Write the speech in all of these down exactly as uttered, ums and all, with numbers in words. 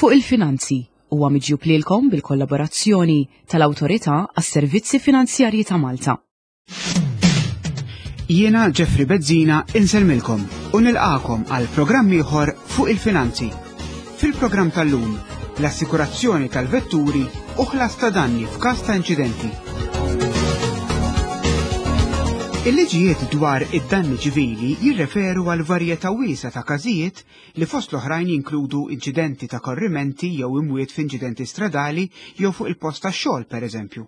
Fuq il-Finanzi huwa miġjub lilkom bil-kollaborazzjoni tal-Awtorità għas-Servizzi Finanzjarji ta' Malta. Jiena Jeffrey Bezzina insellmilkom u nilqagħkom għal programm ieħor Fuq il-Finanzi. Fil-programm tal-lum, l-assikurazzjoni tal-vetturi u ħlas ta' danni f'każ ta' inċidenti. Il-liġijiet dwar id-danni ċivili jirreferu għal varjetà wiesgħa ta' każijiet li fost l-oħrajn jinkludu inċidenti ta' korrimenti jew imwiet f'inċidenti stradali jew fuq il-post tax-xogħol, pereżempju.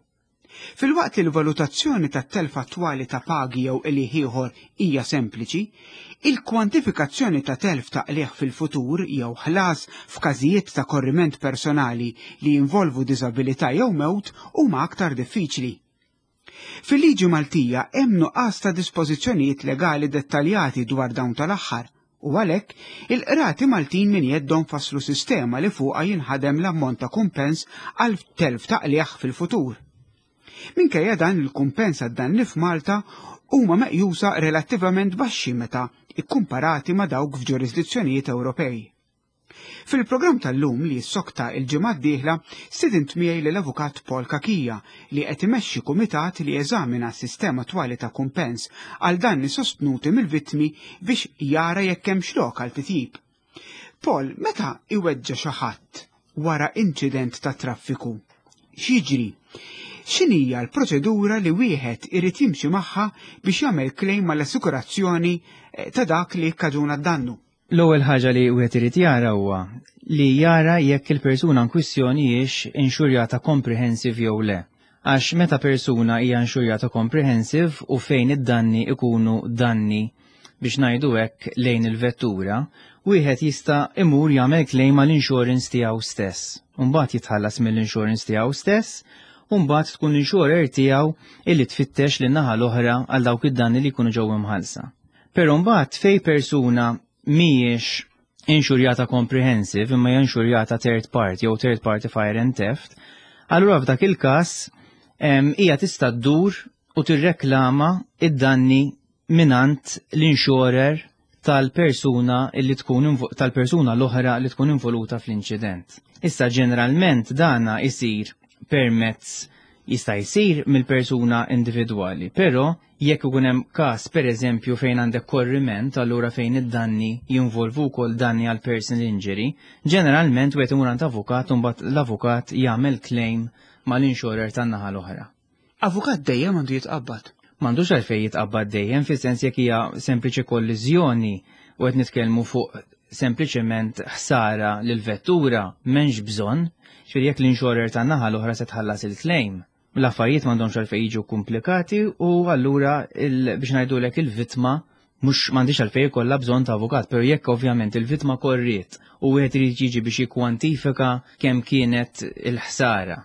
Filwaqt li l-valutazzjoni tat-telf attwali ta' pagi jew qligħ ieħor hija sempliċi, il-kwantifikazzjoni ta' telf ta' qligħ fil-futur jew ħlas f'każijiet ta' korriment personali li jinvolvu diżabilità jew mewt huma aktar diffiċli. Fil-liġi Maltija hemm nuqqas ta' dispożizzjonijiet legali dettaljati dwar dawn tal-aħħar u għalhekk il-qrati Maltin minn jeddhom fasslu sistema li fuqha jinħadem l-ammont ta' kumpens għal telf ta' qligħ fil-futur. Minkejja dan, il-kumpens għad-danni f'Malta huma meqjusa relattivament baxxi meta ikkumparati ma' dawk f'ġurisdizzjonijiet Ewropej. Fil-programm tal-lum, li jissokta il-ġimgħa d-dieħla, stedint miegħi l-avukat Paul Cachia, li qed imexxi kumitat li jeżamina s-sistema attwali ta' kumpens għal danni sostnuti mill-vittmi biex jara jekk hemmx lok għal titjib. Paul, meta iweġġa xi ħadd wara inċident ta' traffiku, x'jiġri? X'inhija l-proċedura li wieħed irid jimxi magħha biex jagħmel claim mal-assikurazzjoni eh, ta' dak li kkaġuna d-dannu? L-ewwel ħaġa li wieħed irid jara huwa li jara jekk il-persuna in kwistjoni hijiex inxurjata comprehensive jew le. Għax meta persuna hija inxurjata comprehensive u fejn id-danni ikunu danni, biex ngħidu hekk, lejn il-vettura, wieħed jista' imur jagħmel claim mal-insurance tiegħu stess. Mbagħad jitħallas mill-insurance tiegħu stess u mbagħad tkun l-insurer tiegħu illi tfittex lin-naħa l-oħra għal dawk id-danni li jkunu ġew imħallsa. Però mbagħad fej persuna mhijiex inxurjata comprehensive imma hija inxurjata third party jew third party fire and theft, allura f'dak il-każ hija tista' ddur u tirreklama id-danni minant l-insurer tal-persuna illi tkun tal-persuna l-oħra li tkun involuta fl-inċident. Issa, ġeneralment dana isir permezz jista' jsir mill-persuna individwali, però jekk ikun hemm każ, pereżempju, fejn għandek korriment, allura fejn id-danni jinvolvu wkoll danni għal personal injury, ġeneralment wieħed imur għand avukat u mbagħad l-avukat jagħmel claim mal-insurer tan-naħa l-oħra. Avukat dejjem għandu jitqabbad? M'għandux għalfejn jitqabbad dejjem, fis-sens jekk hija sempliċi kolliżjoni u qed nitkellmu fuq sempliċement ħsara lil vettura, m'hemmx bżonn, ġifieri jekk l-insurer tan-naħa l-oħra se tħallas il-claim, l-affarijiet m'għandhomx għalfejn jiġu komplikati u allura, biex ngħidulek, il-vittma mhux m'għandix għalfejn ikollha bżonn ta' avukat, però jekk ovvjament il-vittma korriet u wieħed irid jiġi biex jikkwantifika kemm kienet il-ħsara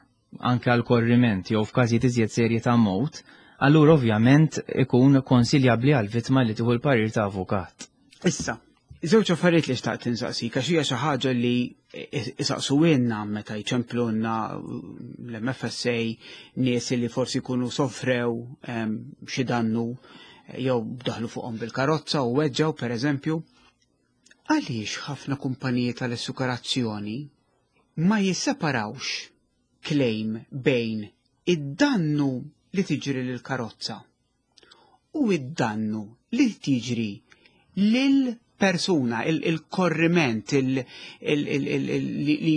anke għal korriment jew f'każijiet iżjed serji ta' mewt, allura ovvjament ikun konsiljabbli għal vittma li tieħu l-parir ta' avukat. Issa, żewġ affarijiet li xtaqt insaqsik, għax hija xi ħaġa li isaqsuhielna meta jċemplunna l-M F S A nies li forsi jkunu sofrew xi dannu jew daħlu fuqhom bil-karozza u weġġaw, pereżempju. Għaliex ħafna kumpaniji tal-assikurazzjoni ma jisseparawx claim bejn id-dannu li tiġri lil karozza u id-dannu li tiġri lil persuna, il-korriment li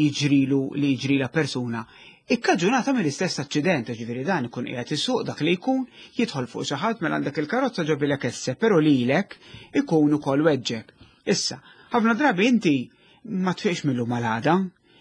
jiġrilu li jiġri persuna ikkaġunata mill-istess aċċident? Ġifieri dan ikun qiegħed isuq dak li jkun, jidħol fuq xi ħadd, mela għandek il-karozza ġabilek esse, però lilek ikun ukoll weġġek. Issa, ħafna drabi inti ma tfiqx millu malada,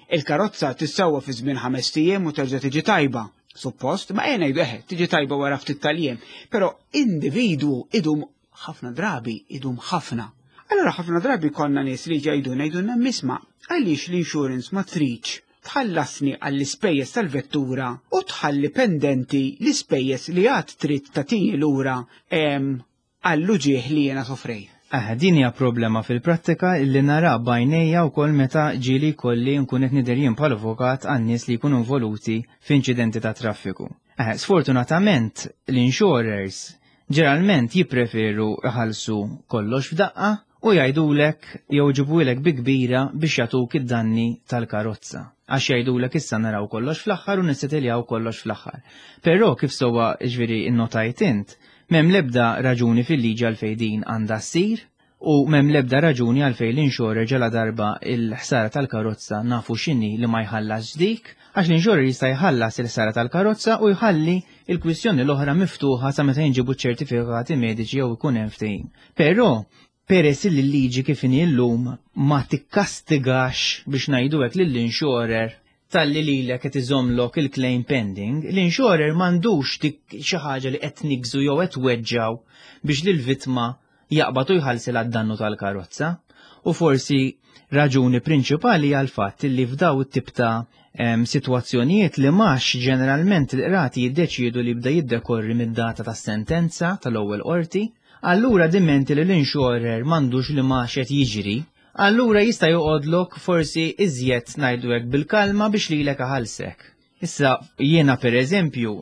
il-karozza tissewwa fi żmien ħames ijiem u terġa' tiġi tajba. Suppost, ma ejja ngħidu eħe, tiġi tajba wara ftit tal-jiem, però individwu idum ħafna drabi, idum ħafna. Allora ħafna drabi konna nies li ġajduna jgħidulna: "Isma', għaliex l-insurance ma tridx tħallasni għall-ispejjeż tal-vettura u tħalli pendenti l-ispejjeż li għad trid tagħtini lura għall-uġieħ li jena sofrej?" Eh, din hija problema fil-prattika li nara b'għajnejja wkoll meta ġieli kolli nkun qed nidher jien bħal avukat għan-nies li jkunu involuti f'inċidenti ta' traffiku. Eh, sfortunatament l-insurers ġeneralment jippreferu iħallsu kollox f'daqqa. u jgħidulek jew iġibulek bi kbira biex jagħtuk id-danni tal-karozza. Għax jgħidulek issa naraw kollox fl-aħħar u nissetiljaw kollox fl-aħħar. Però kif sewwa, ġifieri, innotajt int, m'hemm l-ebda raġuni fil-liġi għalfejn din għandha ssir u m'hemm l-ebda raġuni għalfejn l-insurer, ġala darba il-ħsara tal-karozza nafu x'inhi, li ma jħallas dik, għax l-insurer jista' jħallas il-ħsara tal-karozza u jħalli il-kwistjoni l-oħra miftuħa sa meta jinġibu ċertifikati mediċi jew ikun hemm ftehim. Però peress li l-liġi kif inhi llum ma tikkastigax, biex ngħidu hekk, lill-insurer talli lilek qed iżommlok il-claim pending, l-insurer m'għandux dik xi ħaġa li qed nigżu jew qed weġġaw biex lill-vittma jaqbad u jħallsilha d-dannu tal-karozza. U forsi raġuni prinċipali għal fatt li f'daw it-tip ta' em, situazzjonijiet li max ġeneralment il-qrati jiddeċiedu li bda jiddekorri mid-data tas-sentenza tal-ewwel qorti, allura dimenti li l-insurer m'għandux li max qed jiġri, allura jista' joqgħodlok forsi iżjed, ngħidu hekk, bil-kalma biex lilek iħallsek. Issa jiena, per eżempju,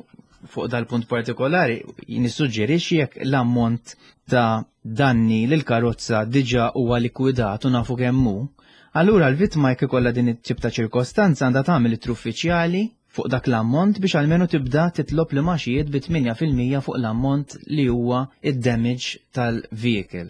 fuq dal-punt partikolari nissuġġerixxi, jekk l-ammont ta' danni lil karozza diġà huwa likwidat u nafu kemm hu, allura l-vittma, jekk ikollha din it-tip ta' ċirkostanza, għandha tagħmel ittra uffiċjali fuq dak l-ammont biex almenu tibda titlob l-imgħaxijiet bi tmienja fil-mija fuq l-ammont li huwa id-damage tal-vehicle.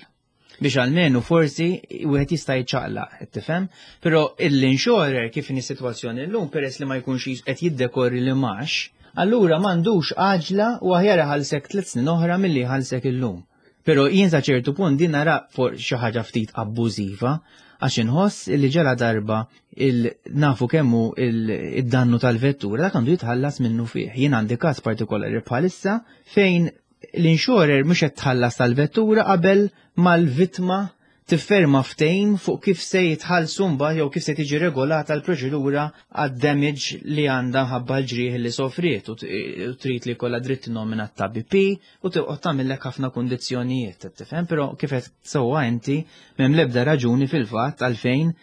Biex almenu forsi wieħed jista' jiċċaqlaq, tifhem? Però l-insurer, kif inhi sitwazzjoni llum, peress li ma jkunx qed jiddekorri l-imgħax, allura m'għandux għaġla u aħjar iħallsek tliet snin oħra milli jħallsek illum. Però jien sa ċertu punt din nara for xi ħaġa ftit abbużiva, għax inħoss li ġala darba il nafu kemmu il-dannu tal-vettura, dak għandu jitħallas minnu fih. Jien għandi każ partikolari bħalissa fejn l-insurer mhux qed tħallas tal-vettura qabel mal-vittma tifferma ftehim fuq kif se jitħallsu mbagħad jew kif se tiġi regolata l-proċedura għad-damage li għandha ħabba l-ġrieħ li sofriet, u trid li jkollha dritt nomina tabib u toqgħod tagħmellek ħafna kundizzjonijiet, tifhem, però kif qed sewwa inti, m'hemm l-ebda raġuni fil-fatt għalfejn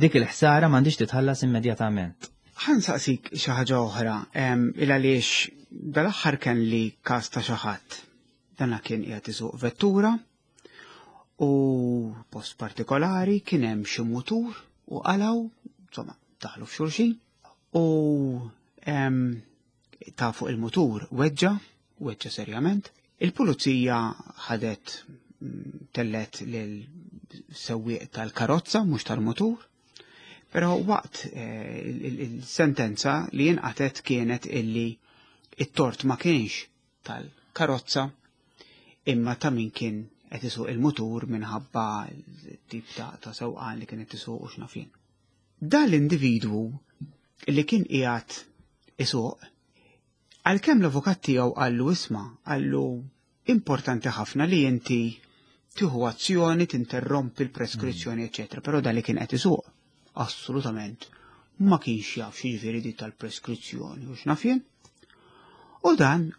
dik il-ħsara m'għandix titħallas immedjatament. Ħa nsaqsik xi ħaġa oħra, il għaliex dal-aħħar kien li każ ta' xi ħadd. Dana kien qiegħed isuq vettura u post partikolari kien hemm xi mutur u qalaw, insomma, daħlu f'xulxin u ta' fuq il-mutur weġġa, weġġa serjament. Il-pulizija ħadet mm, tellet lil sewwieq tal-karozza, mhux tal-mutur, però waqt eh, il-sentenza li jinqatet kienet illi it-tort ma kienx tal-karozza imma ta' min kien qed isuq il-mutur minħabba tip ta', ta sewqan li kienet isuq u x'naf jien. Dan l-individwu li kien qiegħed isuq, għalkemm l-avukat tiegħu qallu, "Isma'," qallu, "importanti ħafna li inti tieħu azzjoni, tinterrompi l-preskrizzjoni, eċetera", però dan li kien qed isuq assolutament ma kienx jaf x'jiġifieri di tal-preskrizzjoni u x'naf jien. U dan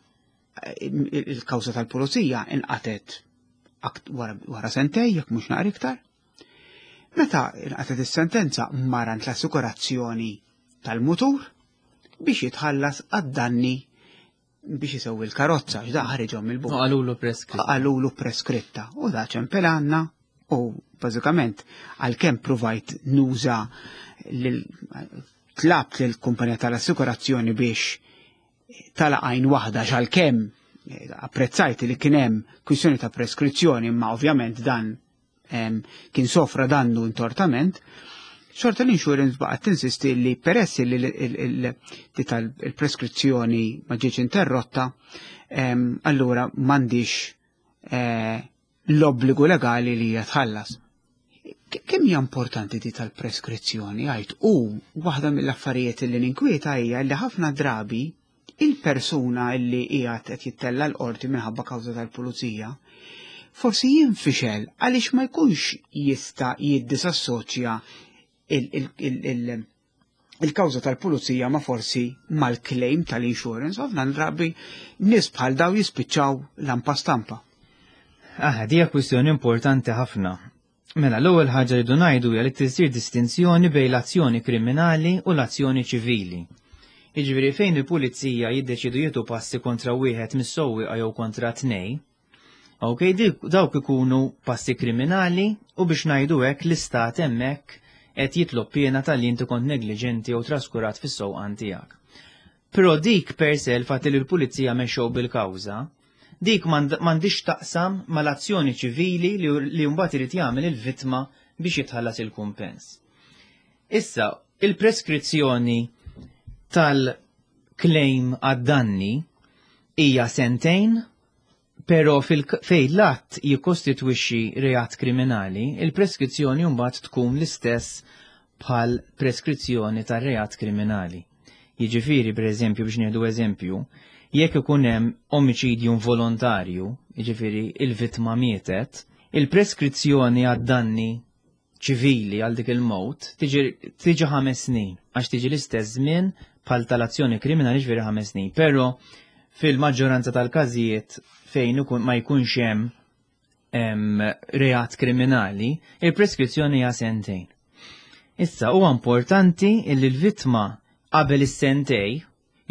il-kawża tal-pulizija inqatet wara sentej, jekk mhux naqra iktar. Meta inqatet is-sentenza, mar għand l-assikurazzjoni tal-mutur biex jitħallas għad-danni biex isewwi l-karozza, x'da ħariġhom il-buk. Qalulu preskritta. Qalulu preskritta. U da ċempel għandna u bażikament, għalkemm provajt nuża, tlabt lill-kumpanija tal-assikurazzjoni biex tala għajn waħda, għalkemm apprezzajt li kien hemm kwistjoni ta' preskrizzjoni, imma ovvjament dan kien sofra dannu intortament, xorta l-insurance baqgħet tinsisti li peress li il-preskrizzjoni ma ġietx interrotta, allura m'għandix eh, l-obbligu legali li jitħallas. Kemm hija importanti di tal-preskrizzjoni, għajt, u waħda mill-affarijiet li ninkwieta hija li ħafna drabi il-persuna li qiegħed qed jittella l-qorti minħabba kawża tal-pulizija forsi jinfixel għaliex ma jkunx jista' jiddisassoċja il-kawża tal-pulizija ma forsi mal-claim tal-insurance. Ħafna drabi nies bħal daw jispiċċaw lampa stampa. Ah, dija kwistjoni importanti ħafna. Mela, l-ewwel ħaġa li ngħidu hija li tisir distinzjoni bejn l-azzjoni kriminali u l-azzjoni ċivili. Jiġifieri fejn il-pulizija jiddeċidu jieħdu passi kontra wieħed mis-sewwieqa jew kontra tnej, Ok, dawk ikunu passi kriminali u biex ngħidu hekk l-istat hemmhekk qed jitlob piena talli inti kont negliġenti jew traskurat fis-sewqan tiegħek. Però dik per se, l-fatt li l-pulizija mexxew bil-kawża, dik m'għandix taqsam mal-azzjoni ċivili li mbagħad irid jagħmel il-vittma biex jitħallas il-kumpens. Issa, il-preskrizzjoni tal-claim għad-danni hija sentejn, pero fejn l-att jikkostitwixxi reat kriminali, il-preskrizzjoni mbagħad tkun l-istess bħal preskrizzjoni tar-reat kriminali. Jiġifieri, per eżempju, biex nieħdu eżempju, jekk ikun hemm omiċidju volontarju, jiġifieri il-vittma mietet, il-preskrizzjoni għad-danni ċivili għal dik il-mowt tiġi ħames snin, għax tiġi l-istess żmien bħal tal-azzjoni kriminali, ġifieri ħames snin. Però fil-maġġoranza tal-każijiet fejn ma jkunx hemm reat kriminali, il-preskrizzjoni hija sentejn. Issa huwa importanti illi l-vittma qabel is-sentej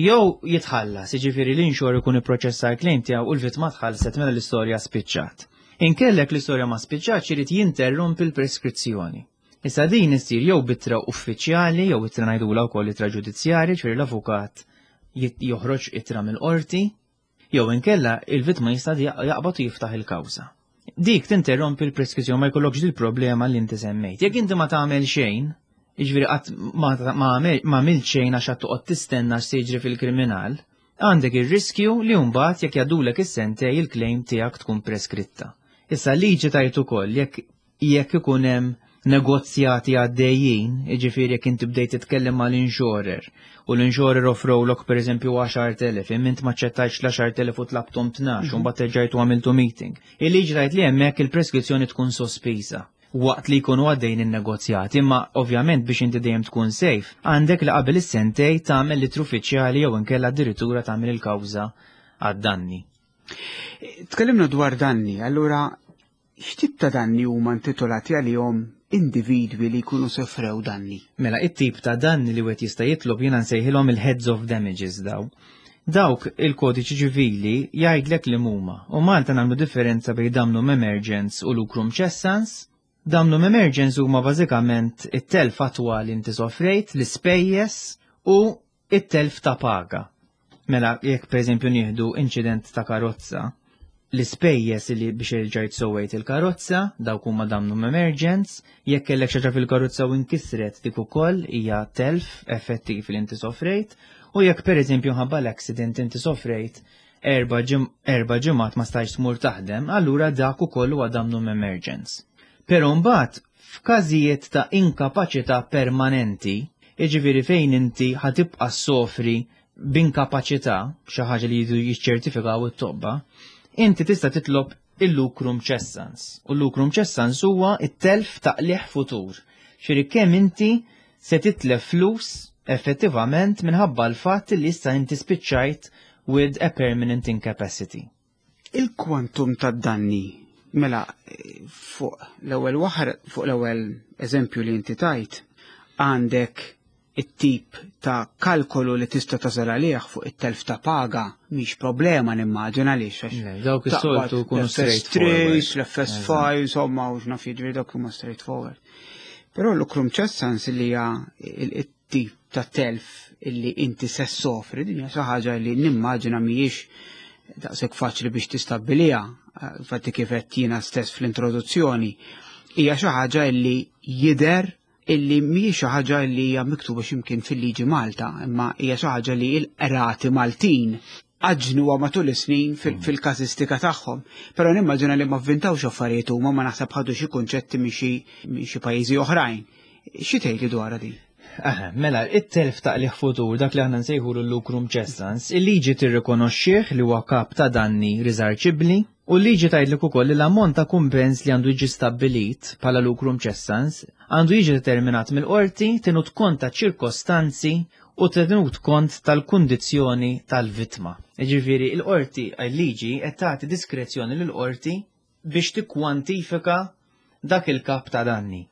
jew jitħallas, jiġifieri l-insurer ikun ipproċessa l-claim tiegħu u l-vittma tħallset, mela l-istorja spiċċat. Inkellek l-istorja ma spiċċat, irid jinterrompi l-preskrizzjoni. Issa din issir jew b'ittra uffiċjali jew ittra ngħidulha wkoll ittra ġudizzjarja, ġifieri l-avukat joħroġ ittra mill-qorti, jew inkella il-vittma jista' jaqbad u jiftaħ il-kawża. Dik tinterrompi l-preskrizzjoni, ma jkollokx dil problema li inti semmejt. Jekk inti ma tagħmel xejn, jiġifieri qatt ma għamilt xejn għax toqgħod tistenna x'se jiġri fil-kriminal, għandek ir-riskju li mbagħad jekk jgħaddulek is-sentej il-claim tiegħek tkun preskritta. Issa liġi tgħid ukoll jekk jekk ikun hemm negozjati għaddejjin, jiġifieri jekk inti bdejt titkellem mal-insurer u l-insurer offrowlok pereżempju għaxart elef, imma int ma aċċettajtx l-għaxart elef u tlabtom tnax, u mbagħad terġajtu għamiltu meeting. Il-liġi tgħid li hemmhekk il-preskrizzjoni tkun sospiża waqt li jkunu għaddejn in-negozjati, imma ovvjament biex inti dejjem tkun safe, għandek li qabel is-sentej tagħmel l uffiċjali jew inkella addirittura tagħmel il-kawża għad-danni. Tkellimna dwar danni, allura x'tip ta' danni huma intitolati għalihom individwi li jkunu sofrew danni? Mela, it-tip ta' danni li wieħed jista' jitlob jiena nsejħilhom il-heads of damages daw. Dawk il-kodiċi ċivili jgħidlek li huma. U Malta nagħmlu differenza bejn damnum emergens u lucrum cessans. Damnum emergens huma bażikament it-telf attwali inti sofrejt, l-ispejjeż u it-telf ta' paga. Mela, jekk pereżempju nieħdu inċident ta' karozza, l-ispejjeż li biex erġajt sewwejt il-karozza, dawk huma damnum emergens, jekk kellek xi ħaġa fil-karozza u inkisret, dik ukoll hija telf effettiv li inti sofrejt, u jekk pereżempju ħabba l-accident inti sofrejt erba' ġimgħat ma stajtx tmur taħdem, allura dak ukoll huwa damnum emergens. Però mbagħad f'każijiet ta' inkapaċità permanenti, jiġifieri fejn inti ħa tibqa' sofri b'inkapaċità, xi ħaġa li jridu jiċċertifikaw it-tobba, inti tista' titlob il-lucrum cessans. U l-lucrum cessans huwa it-telf ta' qligħ futur. Ġifieri kemm inti se titlef flus effettivament minħabba l-fatt li issa inti spiċċajt with a permanent incapacity. Il-kwantum ta' danni, mela fuq l-ewwel waħar, fuq l-ewwel eżempju li inti tajt, għandek it-tip ta' kalkolu li tista' tasal għalih fuq it-telf ta' paga mhix problema, nimmaġina, għaliex. Dawk is-soltu jkunu straightforward. L-F S five, insomma, u x'naf jiġri, dawk huma straightforward. Però l-lucrum cessans, li hija it-tip ta' telf illi inti se sofri, din hija xi ħaġa li nimmaġina mhijiex daqshekk faċli biex tistabbilija, infatti kif qed jiena stess fl-introduzzjoni, hija xi ħaġa illi jidher illi mhijiex xi ħaġa li hija miktuba x'imkien fil-liġi Malta, imma hija xi ħaġa li l-qrati Maltin għaġnuha matul is-snin fil-każistika tagħhom. Però nimmaġina li ma vvintawx affarijiet huma, ma naħseb ħadu xi kunċetti minn xi pajjiżi oħrajn. Xi tgħidli dwar din? Aha, mela, it-telf ta' qligħ futur, dak li aħna nsejħu l-lucrum cessans, il-liġi tirrikonoxxih li huwa kap ta' danni riżarċibbli u l-liġi tgħidlek ukoll li l-ammont ta' kumpens li għandu jiġi stabbilit bħala lucrum cessans għandu jiġi determinat mill-qorti tenut kont ta' ċirkostanzi u tenut kont tal-kundizzjoni tal-vittma. Ġifieri il-qorti, il-liġi qed tagħti diskrezzjoni lill-qorti biex tikkwantifika dak il-kap ta' danni.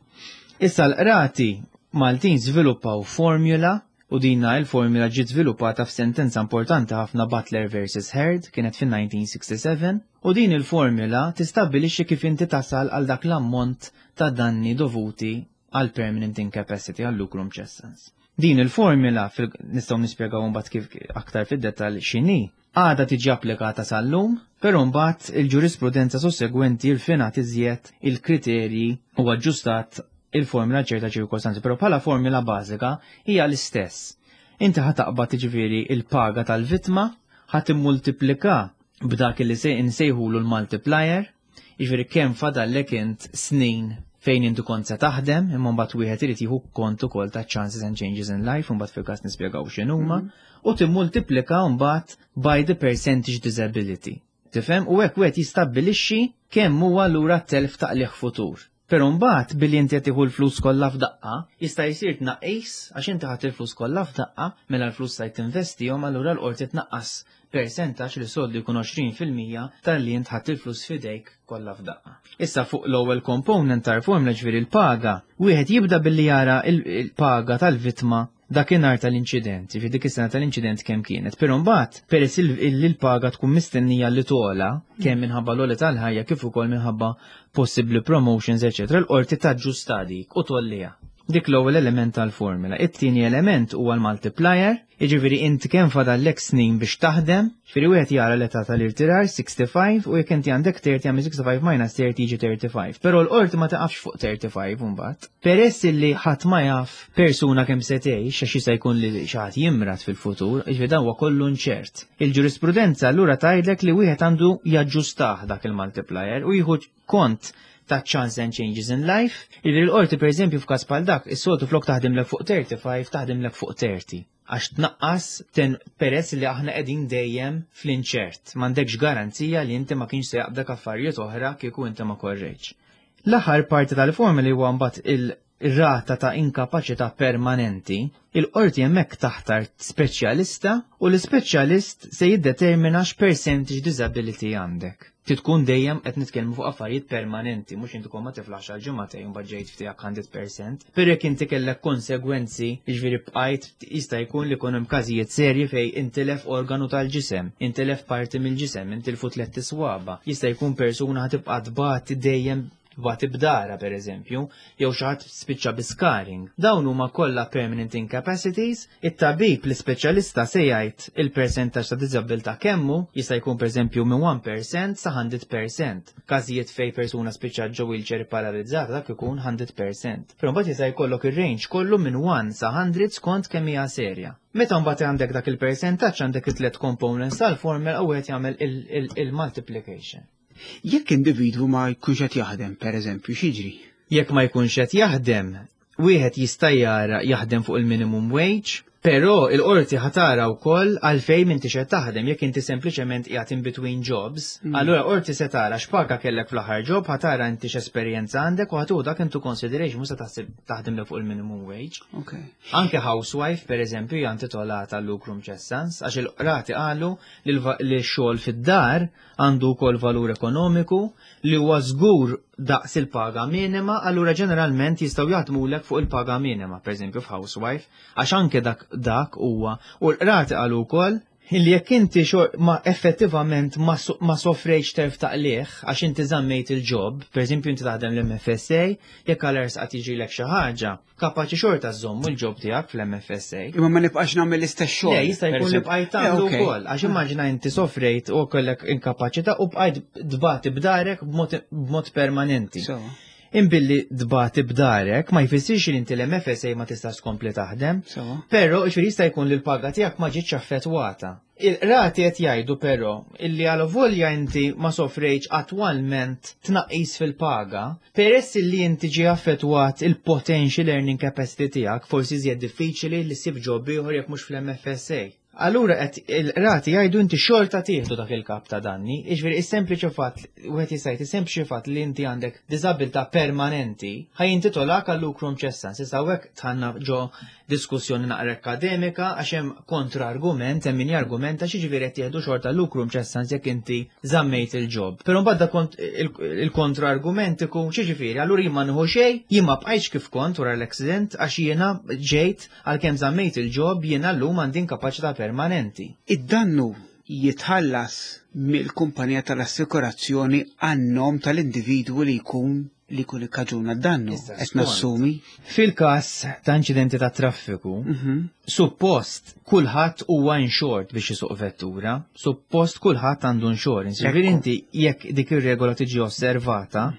Issa l-qrati Maltin żviluppaw formula u dinna il-formula ġiet żviluppata f'sentenza importanti ħafna, Butler versus Heard, kienet fin-elf disa' mija u sitta u sebgħin. U din il-formula tistabbilixxi kif inti tasal għal dak l-ammont ta' danni dovuti għal permanent incapacity, għal lucrum cessans. Din il-formula, nistgħu nispjegaw mbagħad kif aktar fid-dettall x'inhi, għadha tiġi applikata sal-lum, però mbagħad il-ġurisprudenza sussegwenti rfinat iżjed il-kriterji u aġġustat il-formula ċerta ċirkostanzi, però bħala formula bażika hija l-istess. Inti ħa taqbad, ġifieri, il-paga tal-vittma, ħa timmultiplika b'dak li se insejħulu l-multiplier, jiġifieri kemm fadallek int snin fejn intu kont se taħdem, imma mbagħad wieħed irid jieħu kont ukoll ta' chances and changes in life, u mbagħad fil-każ nispjegaw x'inhuma, u timmultiplika mbagħad by the percentage disability. Tifhem? U hekk wieħed jistabbilixxi kemm huwa lura telf ta' qligħ futur. Però mbagħad billi inti qed tieħu l-flus kollha f'daqqa, jista' jsir tnaqqis għax inti ħadd il-flus kollha f'daqqa, mela l-flus se tinvestihom, allura l-qorti tnaqqas percentaġġ li soltu jkun għoxrin fil-mija tal-li int ħadd il-flus f'idejk kollha f'daqqa. Issa fuq l-ewwel component tal-formula, ġifieri l-paga, wieħed jibda billi jara il-paga tal-vittma dakinhar tal-inċident, fi dik is-sena tal-inċident kemm kienet. Però mbagħad peress il l-paga tkun mistennija li togħla kemm minħabba l tal-ħajja kif ukoll minħabba possibbli promotions, eċetera, l-qorti taġġusta dik u tgħolliha. Dik l-ewwel element tal-formula. It-tieni element huwa l-multiplier, jiġifieri inti kemm fadallek snin biex taħdem, jiġifieri wieħed jara l-età tal-irtirar sixty-five u jekk inti għandek thirty, jagħmel sixty-five minus thirty jiġi thirty-five. Però l-qorti ma taqafx fuq thirty-five mbagħad. Peress li ħadd ma jaf persuna kemm se tgħix, għax jista' jkun li xi ħadd jimrad fil-futur, jiġifieri dan huwa kollu inċert. Il-ġurisprudenza allura tgħidlek li wieħed għandu jaġġustah dak il-multiplier u jieħu kont ta' chance and changes in life. Illi l-qorti, per eżempju, f'każ bħal dak, is-soltu flok taħdimlek fuq thirty-five, taħdimlek fuq thirty. Għax tnaqqas ten peress li aħna qegħdin dejjem fl-inċert. M'għandekx garanzija li inti ma kienx se jaqbdak affarijiet oħra kieku inti ma korrejtx. L-aħħar parti tal-formula huwa mbagħad il-rata ta' inkapaċità permanenti. Il-qorti hemmhekk taħtar speċjalista u l-ispeċjalist se jiddetermina x'percentage disability għandek. Titkun dejjem qed nitkellmu fuq affarijiet permanenti, mhux inti kont ma tiflaħx għal ġimagħtejn mbagħad ġejt ftiegħek mija fil-mija. Però jekk inti kellek konsegwenzi, jiġifieri bqajt, jista' jkun li jkun hemm każijiet serji fejn intilef organu tal-ġisem, intilef parti mill-ġisem, intilfu tliet iswaba. Jista' jkun persuna ħa tibqa' tbati dejjem, tbati b'darha per eżempju, jew xi ħadd spiċċa bi scarring. Dawn huma kollha permanent incapacities, it-tabib l-ispeċjalista se jgħid il-percentaġġ ta' diżabilità kemm hu, jista' jkun per eżempju minn wieħed fil-mija sa mija fil-mija. Każijiet fej persuna spiċċa ġo wheelchair paralizzata, dak ikun mija fil-mija. Però mbagħad jista' jkollok ir-range kollu minn wieħed sa mija skont kemm hija serja. Meta mbagħad għandek dak il-percentaġġ, għandek it-tliet components tal-formula u wieħed jagħmel il-multiplication. Jekk individwu ma jkunx qed jaħdem, per eżempju, x'jiġri? Jekk ma jkunx qed jaħdem, wieħed jista' jara jaħdem fuq il-minimum wage, però il-qorti ħa tara wkoll għalfejn m'intix qed taħdem. Jekk inti sempliċement qiegħed in between jobs, mm. allura qorti se tara x'paga kellek fl-aħħar job, ħa tara inti x'esperjenza għandek u ħa tieħu dak into consideration, mhux se taħseb taħdem fuq il-minimum wage. Okay. Anke housewife, per eżempju, hija intitolata lucrum cessans, għax il-qrati qalu li x-xogħol fid-dar għandu wkoll valur ekonomiku li huwa żgur daqs il-paga minima, allura ġeneralment jistgħu jaħdmulek fuq il-paga minima, per eżempju f'housewife, għax anke dak dak huwa. U l-qrati qalu wkoll illi jekk inti ma effettivament ma, ma sofrejx telf ta' qligħ għax inti żammejt il-job, per eżempju inti taħdem l-M F S A, jekk għal qatt jiġrilek xi ħaġa, kapaċi xorta żommu l-job tiegħek fl-M F S A. Imma ma nibqax nagħmel l-istess xogħol. Le, jista' jkun li bqajt tagħmlu wkoll, għax immaġina inti sofrejt u kellek inkapaċità u bqajt tbati b'darek b'mod permanenti. Imbilli tbati b'darek ma jfissirx li inti l-M F S A ma tistax tkompli taħdem, però ġifieri jista' jkun li l-paga tiegħek ma ġietx affettwata. Il-qrati qed jgħidu però illi għal volja inti ma sofrejx attwalment tnaqqis fil-paga, peress li inti ġi affettwat il-potential earning capacity tiegħek, forsi iżjed diffiċli li ssib job ieħor jekk mhux fl-M F S A. Allura qed il-qrati jgħidu inti xorta tieħdu dak il-kap ta' danni, jiġifieri is-sempliċi fatt, wieħed jista' jgħid is-sempliċi fatt li inti għandek diżabilità permanenti ħa jintitolak għal lucrum cessans. Issa hawnhekk dħalna ġo diskussjoni naqra akademika għax hemm kontra-argument, hemm min jargumenta x'jiġifieri qed jieħdu xorta lucrum cessans jekk inti żammejt il-job. Però mbagħad kont il-kontra-argument ikun x'jiġifieri, allura jien ma nieħu xejn, jien ma bqajtx kif kont wara l-accident għax jiena ġejt għalkemm żammejt il-job, jiena llum għandi inkapaċità permanenti. Id-dannu Jitħallas mill-kumpanija tal-assikurazzjoni għan-nom tal-individwu li jkun li jkun ikkaġuna d-dannu. Issa, Qed skont. nassumi. Fil-każ ta' inċidenti ta' traffiku, Mhm. suppost kulħadd huwa insured biex isuq vettura, suppost kulħadd għandu insurance. Ġifieri Ekku. inti jekk dik ir-regola tiġi osservata,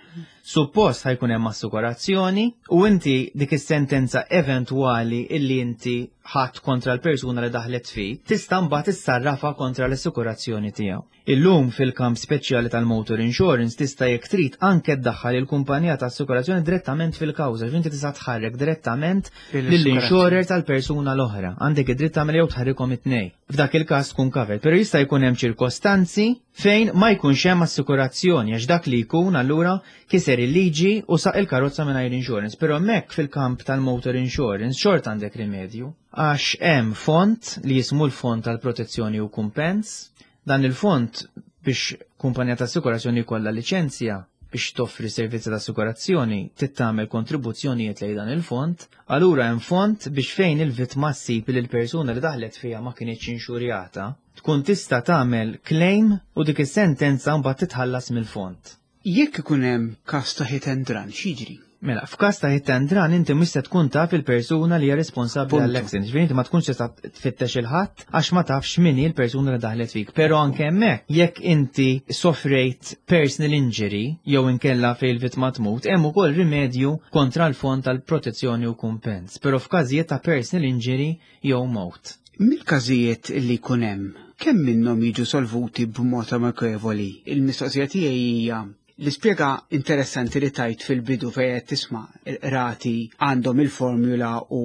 suppost ħa jkun hemm assikurazzjoni u inti dik is-sentenza eventwali illi inti ħadd kontra l-persuna li daħlet fik, tista' mbagħad issarrafa kontra l-assikurazzjoni tiegħu. Illum fil-kamp speċjali tal-motor insurance tista' jekk trid anke ddaħħal il-kumpanija ta' assikurazzjoni direttament fil-kawża, ġifieri inti tista' tħarrek direttament lill-insurer tal-persuna l-oħra. Għandek id-dritt tagħmel jew tħarrikhom it-tnejn. F'dak il-każ tkun covered, però jista' jkun hemm ċirkostanzi fejn ma jkunx hemm assikurazzjoni, għax dak li jkun allura kiser il-liġi u saq il-karozza mingħajr insurance. Però hemmhekk fil-kamp tal-motor insurance xort għandek rimedju, għax hemm fond li jismu l-Fond tal-Protezzjoni u Kumpens. Dan il-fond, biex kumpanija ta' assikurazzjoni jkollha liċenzja biex toffri servizzi ta' assikurazzjoni, trid tagħmel kontribuzzjonijiet lejn dan il-fond. Allura hemm fond biex fejn il-vittma ssib li l-persuna li daħlet fiha ma kinitx inxurjata, tkun tista' tagħmel claim u dik is-sentenza mbagħad titħallas mill-fond. Jekk ikun hemm każ ta' hit and run, x'jiġri? Mela, f'każ ta' hit and run inti mhux se tkun taf il-persuna li hija responsabbli Punto. għall-accident. Ġifieri inti ma tkunx tista' tfittex il-ħadd għax ma tafx min hi l-persuna li daħlet fik. Però anke hemmhekk, jekk inti sofrejt personal injury jew inkella fejn il-vittma tmut, hemm ukoll rimedju kontra l-Fond tal-Protezzjoni u Kumpens. Però f'każijiet ta' personal injury jew mowt. Mill-każijiet li jkun hemm, kemm minnhom jiġu solvuti b'mod amikevoli? Il-mistoqsija tiegħi hija l-ispjega interessanti li tajt fil-bidu fejn qed tisma' il-qrati għandhom il-formula u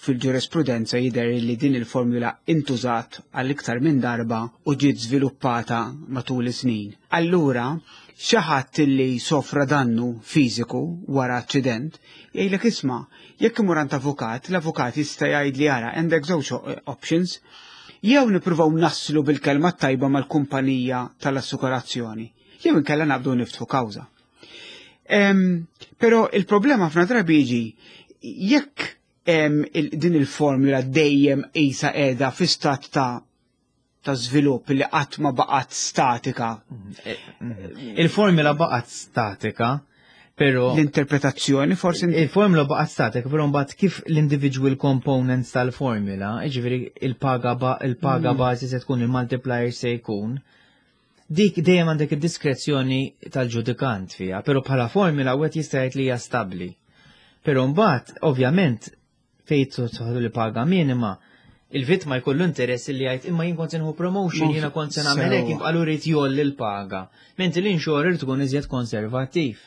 fil-ġurisprudenza jidher li din il-formula intużat għal iktar minn darba u ġiet żviluppata matul is-snin. Allura, xi ħadd li sofra dannu fiżiku wara aċċident, jgħidlek, "Isma', jekk imur għand avukat, l-avukat jista' jgħid li ara, għandek żewġ options, jew nippruvaw naslu bil-kelma tajba mal-kumpanija tal-assikurazzjoni, jew inkella nabdu niftħu kawża." Em, Però il-problema ħafna drabi jiġi jekk em, il, din il-formula dejjem qisha qiegħda fi stat ta' ta' żvilupp li qatt ma baqgħet statika. Il-formula baqgħet statika, però L-interpretazzjoni forsi. Il-formula baqgħet statika, però mbagħad kif l-individual components tal-formula, jiġifieri il-paga ba il-paga Mm. bażi se tkun, il-multiplier se jkun, dik dejjem għandek id-diskrezzjoni tal-ġudikant fiha, però bħala formula wieħed jista' jgħid li hija stabbli. Però mbagħad, ovvjament, fejn tidħol il-paga minima, il-vittma jkollu interess li jgħid, "Imma jien kont se nieħu promotion, jiena kont se nagħmel hekk, Sewwa. allura jrid jgħolli l-paga." Mentri l-insurer tkun iżjed konservattiv.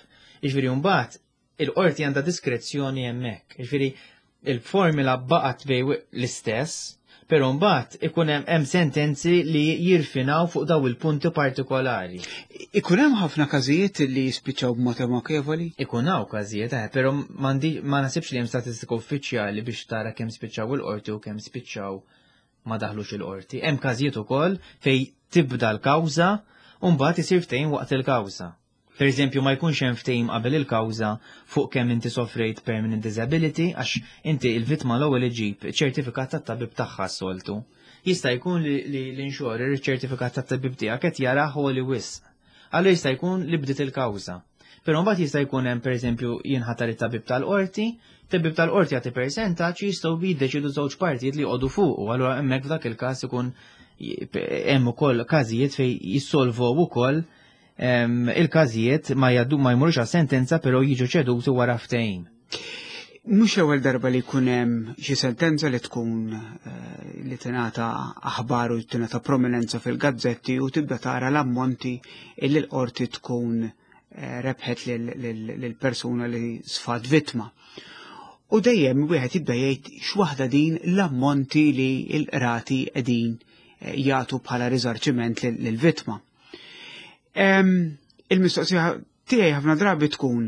Jiġifieri mbagħad il-qorti għandha diskrezzjoni hemmhekk. Jiġifieri il-formula baqgħet bej l-istess, però mbagħad ikun hemm hemm sentenzi li jirfinaw fuq daw il-punti partikolari. Ikun hemm ħafna każijiet li jispiċċaw b'mod amikevoli? Ikun hawn każijiet, eh, però m'għandi ma nasibx li hemm statistika uffiċjali biex tara kemm spiċċaw il-qorti u kemm spiċċaw ma daħlux il-qorti. Hemm każijiet ukoll fej tibda l-kawża u mbagħad isir ftehim waqt il-kawża. Per eżempju, ma jkunx hemm ftehim qabel il-kawża fuq kemm inti sofrejt permanent disability, għax inti il-vittma l-ewwel iġib ċertifikat tat-tabib tagħha s-soltu. Jista' jkun li li l-insurer iċ-ċertifikat tat-tabib tiegħek qed jarah li wisq. Allura jista' jkun li bdiet il-kawża. Però mbagħad jista' jkun hemm, pereżempju, jinħatar it-tabib tal-qorti, tabib tal-qorti jagħti percentaġġ, jistgħu jiddeċidu żewġ partijiet li jqogħdu fuq, u allura hemmhekk f'dak il-każ ikun hemm ukoll każijiet fejn jissolvow ukoll em, il-każijiet, ma jgħaddu, ma jmurux għas sentenza, però jiġu ċeduti wara ftehim. Mhux l-ewwel darba li jkun hemm xi sentenza li tkun eh, li tingħata aħbar u tingħata prominenza fil-gazzetti u tibda tara l-ammonti illi l-qorti tkun eh, rebħet lill-persuna li sfat vittma. U dejjem wieħed jibda jgħid, "X'waħda din l-ammonti li l-qrati qegħdin eh, jagħtu bħala riżarċiment lill-vittma?" Em, Il-mistoqsija tiegħi ħafna drabi tkun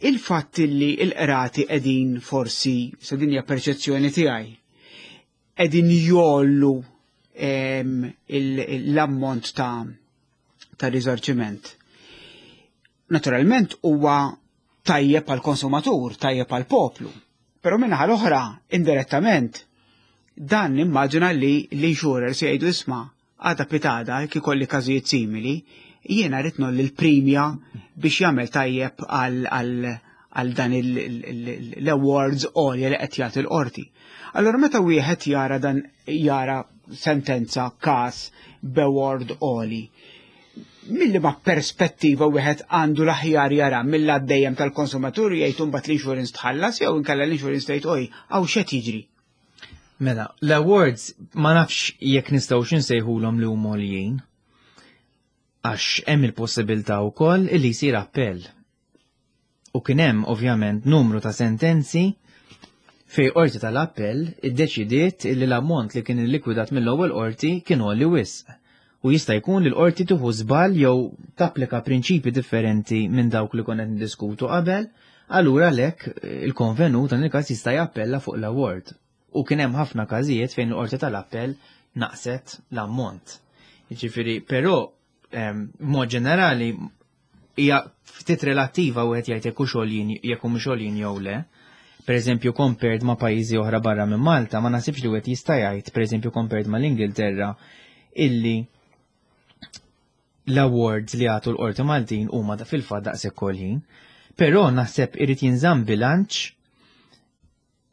il-fatt li l-qrati qegħdin forsi, sa din hija perċezzjoni tiegħi, qegħdin jgħollu em, il- l-ammont ta' ta' riżarċiment. Naturalment huwa tajjeb għal konsumatur, tajjeb għal poplu. Però minnaħa l-oħra, indirettament, dan nimmaġina li l-insurers jgħidu, "Isma', Għada pitgħada, jekk ikolli każijiet simili, jiena rrid ngħolli l-primja biex jagħmel tajjeb għal għal dan l-awards għolja li qed jagħti l-qorti. Allora meta wieħed jara dan jara sentenza każ b'award għoli, mill-liema perspettiva wieħed għandu l-aħjar jara mill dejjem tal-konsumatur jgħid imbagħad l-insurance tħallas jew inkella l-insurance tgħid oj hawn x'qed jiġri. Mela, l-awards ma nafx jekk nistgħux insejħulhom li huma għoljin. Għax hemm il-possibilità wkoll illi jsir appell. U kien hemm ovvjament numru ta' sentenzi fej qorti tal-appell iddeċidiet illi l-ammont li kien illikwidat mill-ewwel qorti kien għoli wisq. U jista' jkun li l-qorti tieħu żball jew tapplika prinċipi differenti minn dawk li konna niddiskutu qabel, allura lek il-konvenut dan il-każ jista' jappella fuq l-award. U kien hemm ħafna każijiet fejn l-qorti tal-appell naqset l-ammont. Jiġifieri, però mod ġenerali hija ftit relattiva wieħed jgħid jekk hux għoljin jekk mhux għoljin jew le. Per eżempju, compared ma' pajjiżi oħra barra minn Malta, ma nasibx li wieħed jista' jgħid, per eżempju, compared ma' l-Ingilterra, illi l-awards li għatu l-qorti Maltin huma fil-fatt daqshekk għoljin. Però naħseb irid jinżamm bilanċ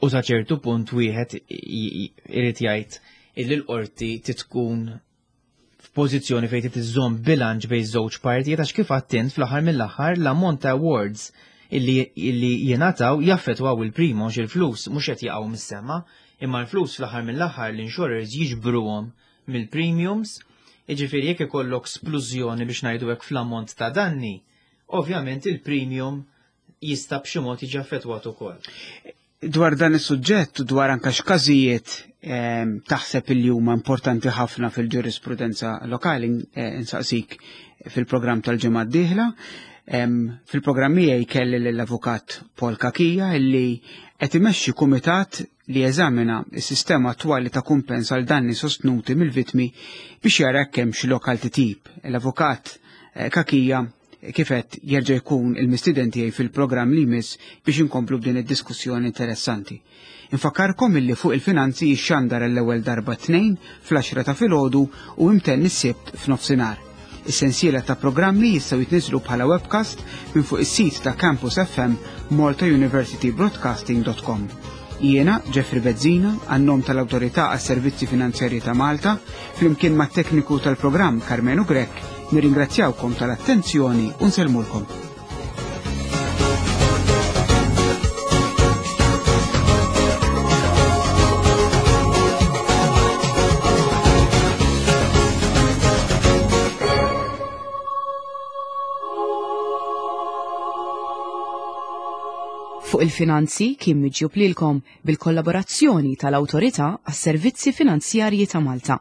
u sa ċertu punt wieħed irid jgħid illi l-qorti titkun f'pożizzjoni fejn trid iżżomm bilanċ bejn żewġ partijiet għax kif għedt fl-aħħar mill-aħħar l-ammont ta' awards illi, illi jingħataw jaffettwaw il-primo il-flus mhux qed jaqgħu mis-sema, imma l-flus fl-aħħar mill-aħħar l-insurers jiġbruhom mill-premiums, jiġifieri jekk ikollok splużjoni biex ngħidu hekk fl-ammont ta' danni, ovvjament il-premium jista' b'xi mod jiġi affettwat ukoll. Dwar dan is-suġġett u dwar anke x'każijiet ehm, taħseb li huma importanti ħafna fil-ġurisprudenza lokali eh, insaqsik fil-programm tal-ġimgħa d-dieħla. Ehm, fil-programm miegħi kelli lill-avukat Paul Cachia illi qed imexxi kumitat li jeżamina s-sistema attwali ta' kumpens għal danni sostnuti mill-vittmi biex jara jekk hemm xi lokal titjib. L-avukat eh, Cachia kif għedt jerġa' jkun il-mistieden tiegħi fil-programm li jmiss biex inkomplu b'din id-diskussjoni interessanti. Infakkarkom illi fuq il-finanzi jixxandar l-ewwel darba tnejn fl-għaxra ta' filgħodu u imtenn is-Sibt f'nofsinhar. Is-sensiela ta' programmi jistgħu jitniżlu bħala webcast minn fuq is-sit ta' Campus F M malta university broadcasting dot com. Jiena Jeffrey Bezzina, għan-nom tal-Awtorità għas-Servizzi Finanzjarji ta' Malta, flimkien mat-tekniku tal-programm Carmenu Grech, nirringrazzjawkom tal-attenzjoni u nsellmulkom. Fuq il-finanzi kien miġjub lilkom bil-kollaborazzjoni tal-Awtorità għas-Servizzi Finanzjarji ta' Malta.